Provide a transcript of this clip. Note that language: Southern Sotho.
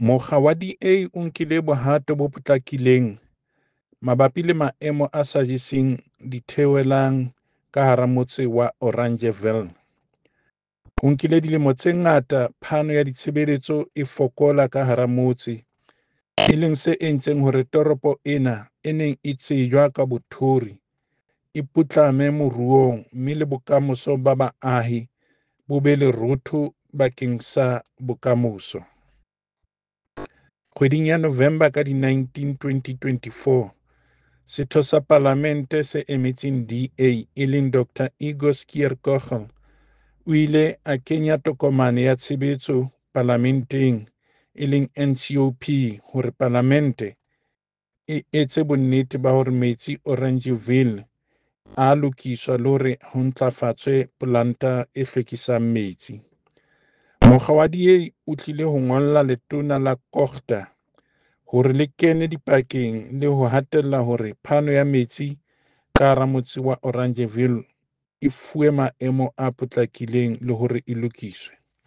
Mokga wa DA o nkile bohato bo potlakileng mabapi le maemo a sa jeseng ditheohelang ka hara motse wa Oranjeville. Ho nkile dilemo tse ngata phano ya ditshebeletso e fokola ka hara motse, e leng se entseng hore toropo ena e neng e tsejwa ka bothori e putlame moruong mme le bokamoso ba baahi bo be lerootho bakeng sa bokamoso. Kgweding ya November ka di 19, 2024, Setho sa Palamente se emetseng DA e leng Dr Igor Schierkogel o ile a kenya tokomane ya tshebetso Palamenteng e leng NCOP hore Palamente e etse bonnete ba hore metsi Oranjeville a lokiswa le hore ho ntlafatswe polanta e hlwekisang metsi. Mokga wa DA o tlile ho ngolla Letona la COGTA hore le kene dipakeng le ho hatella hore phano ya metsi ka hara motse wa Oranjeville e fuwe maemo a potlakileng le hore e lokiswe.